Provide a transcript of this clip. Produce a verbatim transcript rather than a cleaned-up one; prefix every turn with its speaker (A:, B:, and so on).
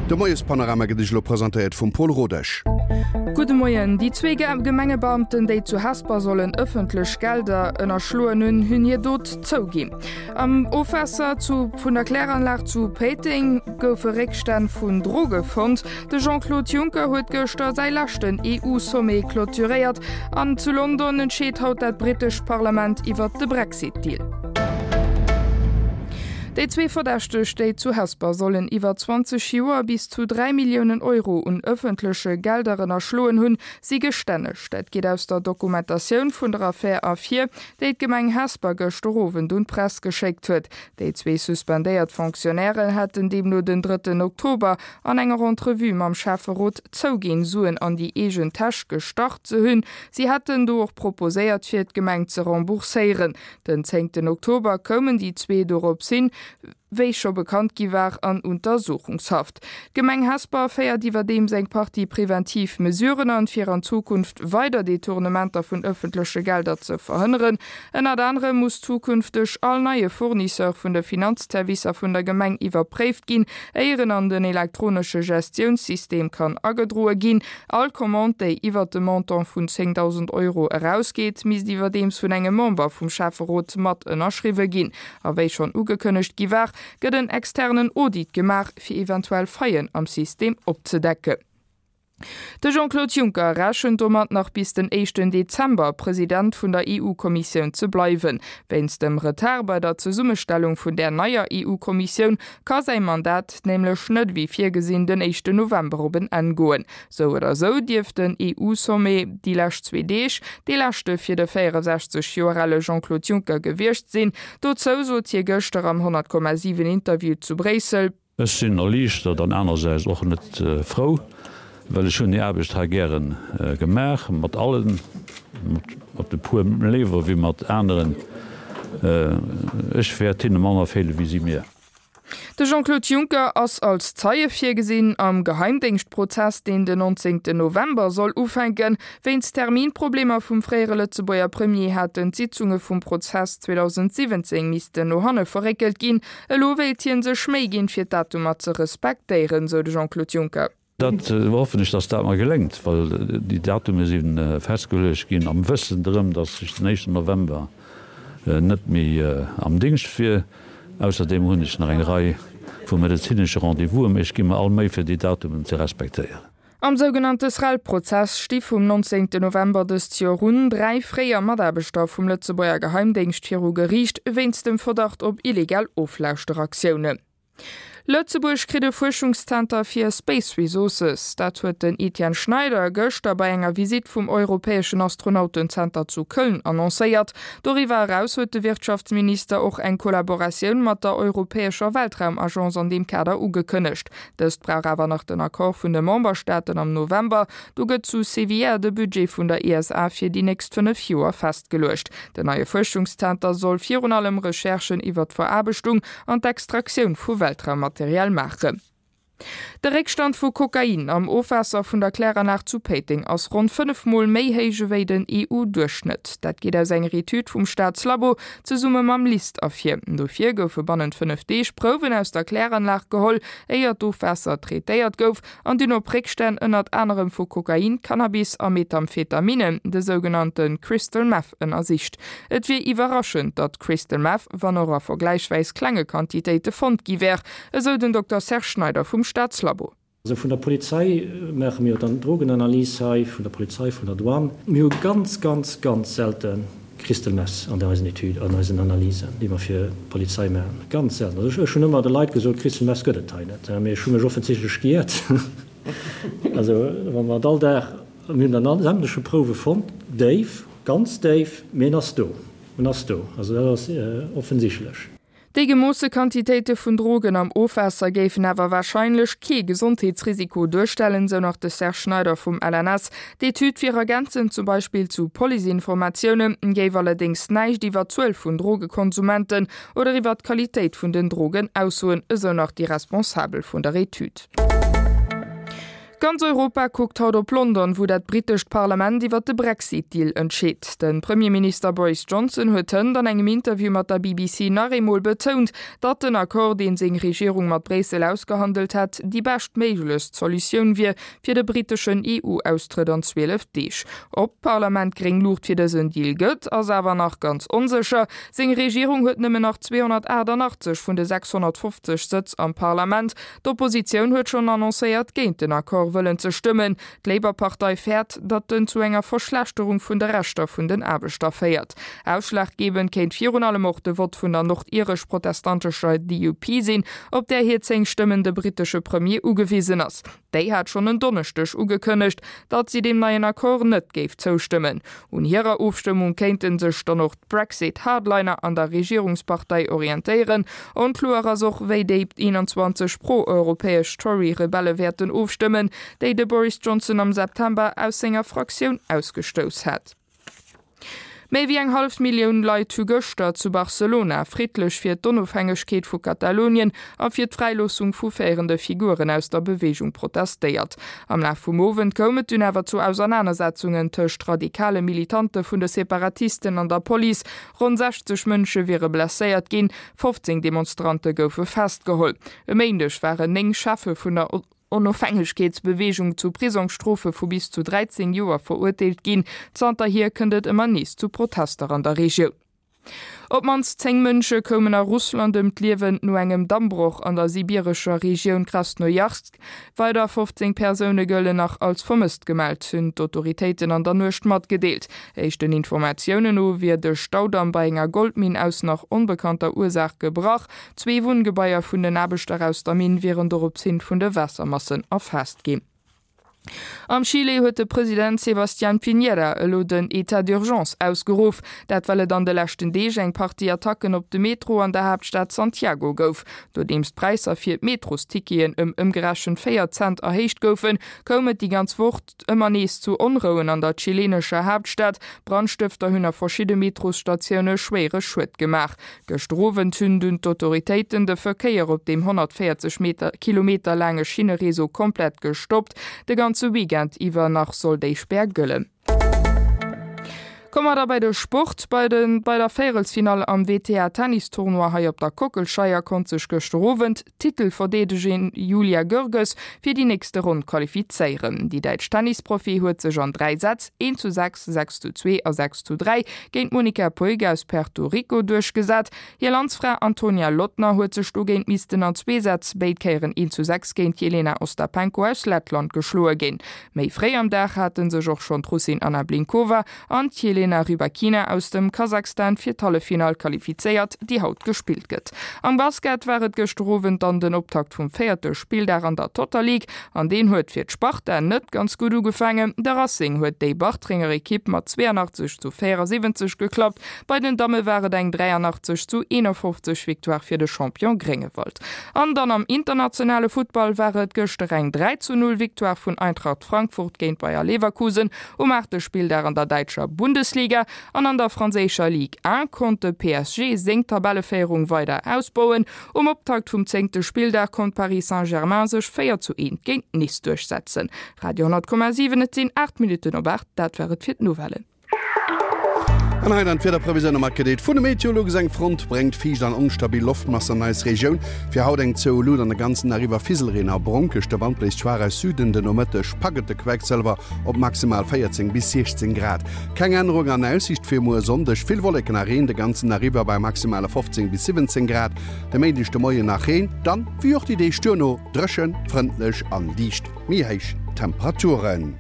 A: De Moiespanorama gëtt Iech elo presentéiert vum Paul Rodesch.
B: Gudde Moien. Déi zwee Gemengebeamten, déi zu Hesper sollen ëffentlech Gelder ënnerschloen hunn, hunn hir Dot zouginn. Am Ofwaasser zu vun der Kläranlag zu Péiteng goufe Réckstänn vun Droge fonnt. De Jean-Claude Juncker huet gëschter säi leschten EU-Sommet clôturéiert an zu London entscheet haut dat britescht Parlament iwwert de Brexit-Deal. Déi zwee Verdächteg, déi zu Hesper sollen iwwer zwanzeg Joer bis zu dräi Milliounen Euro un ëffentleche Gelder ënnerschloen hunn, si gestänneg. Dat geet aus der Dokumentatioun vun der Affär ervir, déi d'Gemeng Hesper gëschter Owend un d'Press geschéckt huet. Déi zwee suspendéiert Fonctionnairen hätten deemno den drëtten Oktober an enger Entrevue mam Schäfferot zouginn, Suen an déi eegen Täsch gestach ze hunn. Si hätten do och proposéiert, fir d'Gemeng ze rembourséieren. Den zéngten Oktober koumen déi zwee dorops hin, wéi scho bekannt gi war, an Untersuchungshaft. D'Gemeng Hesper féiert iwwerdeems eng Partie preventiv Mesuren an, fir an Zukunft weider Detournementer vun ëffentleche Gelder ze verhënneren. Ënnert anerem muss zukünfteg all neie Fournisseur vun de Finanzservicer vun der Gemeng iwwerpréift ginn, éier en an den elektronesche Gestiounssystem kann agedroe ginn. All Commande, déi iwwert de Montant vun zéngdausend Euro erausgeet, misst iwwerdeems vun engem Member vum Schäfferot mat ënnerschriwwe ginn. A wéi schonn ugekënnegt gi war, gëtt en externen Audit gemaach, fir eventuell Faillen am System opzedecken. De Jean-Claude Juncker rechent domat, nach bis den éischten Dezember President vun der E U-Kommissioun ze bleiwen. Wéinst dem Retard bei der Zesummestellung vun där neier E U-Kommissioun ka säi Mandat nämlech net wéi virgesinn den éischten November op en Enn goen. Sou oder sou dierft den E U-Sommet déi lescht zwee Deeg dee leschte fir de véierensechzeg Joer ale Jean-Claude Juncker gewiescht sinn. Dozou sot hie gëschter am honnert Komma siwen Interview zu Bréissel.
C: Ech sinn erliichtert an anersäits och net frou, well ech hunn déi Aarbecht hei gäre gemaach, mat allen, mat e puer léiwer wéi mat aneren. Ech wäert hinne manner feele wéi si mir.
B: De Jean-Claude Juncker ass als Zeie virgesinn am Geheimdéngschtprozess, deen den nonzéngten November soll ufänken. Wéinst Terminproblemer vum fréiere Lëtzebuerger Premier haten d'Sitzunge vum Prozess zweedausendsiwwenzéng missten no hanne verréckelt ginn. Elo wéilt hie sech Méi ginn, fir d'Datumer ze respektéieren, sou de Jean-Claude Juncker.
C: Dat hoffen ech, dass dat mer geléngt, well déi Datume si festgeluecht ginn am Wëssen drëm, dass ech den éischten November net méi am Dingscht wier. Ausserdeem hunn ech nach eng Rei vu medezinesche Rendez-vousen, mee ech gi mer all Méi fir déi Datumen ze respektéieren.
B: Am sougenannte Srel-Prozess sti vum nonzéngten November dëst Joer un dräi fréier Mataarbechter vum Lëtzebuerger Geheimdéngscht viru Geriicht wéinst dem Verdacht op illegal Oflauschteraktiounen. Lëtzebuerg kritt e Fuerschungszenter fir Space Resources. Dat huet den Etienne Schneider gëschter bei enger Visitt vum europäeschen Astronautenzenter zu Köln annoncéiert. Doriwwer eraus huet de Wirtschaftsminister och eng Kollaboratioun mat der europäescher Weltraumagence an deem Kader ugekënnegt. Dëst brauch awer nach den Accord vun de Memberstaaten am November. Do gëtt zu Sevilla de Budget vun der E S A fir déi nächst fënnef Joer festgeluecht. Den neie Fuerschungszenter soll virun allem Recherchen iwwer d'Veraarbechtung an d'Extraktioun vu Weltraummaterial maachen. De Réckstand vu Kokain am Ofwaasser vun der Kläranlag zu Péiteng ass ronn fënnef Mol méi héich ewéi den E U-Duerchschnëtt. Dat geet aus enger Etüd vum Staatslabo zesumme mam LIST ervir. Dofir goufe bannent fënnef Deeg Prouwen aus der Kläranlag geholl, éier d'Ofwaasser traitéiert gouf, an dunn op Réckstänn ënnert anerem vu Kokain, Cannabis a Methamphetaminen, de sougenannte Crystal Meth, ënnersicht. Et wier iwwerraschend, datt Crystal Meth, wann och a vergläichsweis klenge Quantitéite fonnt gi wär, esou den Dokter Serge Schneider vum Staatslabo.
D: Also vun der Polizei maache mir dann Drogenanalys hei, vun der Polizei, vun der Douane. Mir hu ganz, ganz, ganz selte Crystal Meth an eisen Etüden, an eisen Analysen, déi mer fir d'Polizei maachen. Ganz selten. Also ech hunn ëmmer de Leit gesot, Crystal Meth gëtt et hei net. Mee ech hu mech offensichtlech geiert. Also wa mer all Dag, mir hunn dann sämtleche Prouwe fonnt, déif, ganz déif, mee en ass do, en ass do. Also dat ass offensichtlech.
B: Déi gemoosse Quantitéite vun Drogen am Ofwaasser géifen awer warscheinlech kee Gesondheetsrisiko duerstellen, sou nach de Serge Schneider vum L N S. D'Etüd wier ergänzend zum Beispill zu Policeinformatiounen, géif allerdéngs näischt iwwer d'Zuel vun Drogekonsumenten oder iwwer d'Qualitéit vun den Drogen aussoen, esou nach déi Responsabel vun der Etüd. Ganz Europa kuckt haut op London, wou dat britescht Parlament iwwer de Brexit-Deal entscheet. De Premierminister Boris Johnson huet hënt an engem Interview mat der B B C nach eemol betount, datt den Accord, deen seng Regierung mat Bréissel ausgehandelt hätt, déi beschtméiglechst Solutioun wier fir de briteschen E U-Austrëtt an zwielef Deeg. Ob d'Parlament gréng Luucht fir dësen Deal gëtt, ass awer nach ganz onsécher. Seng Regierung huet nëmmen nach zweehonnertaachtanachtzeg vun de sechshonnertfofzeg Sëtz am Parlament. D'Oppositioun huet schonn annoncéiert, géint den Accord wëllen ze stëmmen. D'Labour-Partei fäert, datt en zu enger Verschlechterung vun de Rechter vun den Aarbechter féiert. Ausschlaggebend kéint virun allem och de Vott vun der nordiresch-protestantescher D U P sinn, op där hir zéng Stëmmen de britesche Premier ugewisen ass. Déi hat schonn en Donneschdeg ugekënnegt, datt si deem neien Accord net géif zoustëmmen. Un hirer Ofstëmmung kéinte sech dann och d'Brexit-Hardliner an der Regierungspartei orientéieren. Onkloer ass och, wéi déi eenanzwanzeg pro-europäesch Tory-Rebelle wäerten ofstëmmen, déi de Boris Johnson am September aus senger Fraktioun ausgestouss hat. Méi wéi eng hallef Millioun Leit hu gëschter zu Barcelona friddlech fir d'Onofhängegkeet vu Katalonien a fir d'Fräiloossung vu féierende Figuren aus der Beweegung protestéiert. Am Laf vum Owend koum et dunn awer zu Ausernanersetzungen tëscht radikale Militante vun de Separatisten an der Police. Ronn sechzeg Mënsche wiere blesséiert ginn, fofzéng Demonstrante goufe festgeholl. E Méindeg waren néng Cheffe vun der Onofhängegkeetsbeweegung zu Prisongsstrofe vu bis zu dräizéng Joer verurteelt ginn. Zanterhier kënnt et ëmmer nees zu Protester an der Regioun. Op d'mannst zéng Mënsche koumen a Russland ëm d'Liewen no engem Dammbroch an der sibirescher Regioun Krasnojarsk. Weider fofzéng Persoune gëllen nach als vermësst gemellt, hunn d'Autoritéiten an der Nuecht matgedeelt. Éischten Informatiounen no wier de Staudamm bei enger Goldminn aus nach onbekannter Ursaach gebrach. Zwee Wunngebaier vun den Aarbechter aus der Minn wieren doropshin vun de Waassermassen erfaasst ginn. Am Chile huet de President Sebastián Piñera elo den État d'urgence ausgeruff, dat well et an de leschten Deeg eng Partie Attacken op de Metro an der Haaptstad Santiago gouf. Nodeems d'Präisser fir d'Metrosticketen ëm ëmgerechent véier Cent erhéicht goufen, koum et déi ganz Woch ëmmer nees zu Onrouen an der chilenescher Haaptstad. Brandstëfter hunn a verschidde Metrosstatioune schwéiere Schued gemaach. Gëschter Owend hunn dunn d'Autoritéiten de Verkéier op deem honnertvéierzeg Kilometer laange Schinnereseau komplett gestoppt. De ganze Weekend iwwer nach soll déi Spär gëllen. Komme mer da bei de Sport. Bei den bei der Véierelsfinall am W T A Tennistournoi hei op der Kockelscheier konnt sech gëschter Owend d'Titelverdeedegerin Julia Görges fir déi nächste Ronn qualifizéieren. Déi däitsch Tennisprofi huet sech an dräi Sätz eent zu sechs, sechs zu zwee a sechs zu dräi géint d'Monica Puig aus Puerto Rico duerchgesat. Hir Landsfra Antonia Lottner huet sech dogéint missten an zwee Sätz béid Kéieren eent zu sechs géint Jelena Ostapenko aus Lettland geschloe ginn. Méi fréi am Dag hate sech och schonn d'Russin Anna Blinkova an d'Jelena Rybakina aus dem Kasachstan fir d'Halleffinall qualifizéiert, déi haut gespillt gëtt. Am Basket war et gëschter Owend dann den Optakt vum véierte Spilldag an der Total League an deen huet fir d'Sparta net ganz gutt ugefaangen. De Racing huet déi Bartrenger Ekipp mat zweeanachtzeg zu véierasiwwenzeg geklappt. Bei den Damme war et eng dräianachtzeg zu eenofofzeg Victoire fir de Champion Gréngewald. An dann am internationale Futtball war et gëschter eng dräi zu null Victoire vun Eintracht Frankfurt géint Bayer Leverkusen um aachte Spilldag an der däitscher Bundesliga an an der franséischer Ligue eent konnt de P S G seng Tabelleféierung weider ausbauen. Um Optakt vum zéngte Spilldag konnt Paris Saint-Germain sech véier zu eent géint Nice duerchsetzen. Radio honnert Komma siwen, et sinn aacht Minutten op aacht, dat war et fir d'Nouvellen.
A: An hei dann d'Wiederprevisioun matgedeelt vun de Meteolux. Eng Front bréngt fiicht an onstabil Loftmassen an eis Regioun. Fir haut eng zou Luut an de ganzen Dag iwwer Fiselreen a Bronkeg. De Wand bléist schwaach aus Süden, den Nomëtteg packt et de Quecksëlwer op maximal véierzéng bis siechzéng Grad. Keng Ännerung an Aussiicht fir muer Sonndeg, vill Wolleken a Reen de ganzen Dag iwwer bei maximale fofzéng bis siwwenzéng Grad. De Méindeg de Moien nach Reen, dann, wéi och déi Deeg duerno, dréchen, frëndlech an liicht méi héich Temperaturen.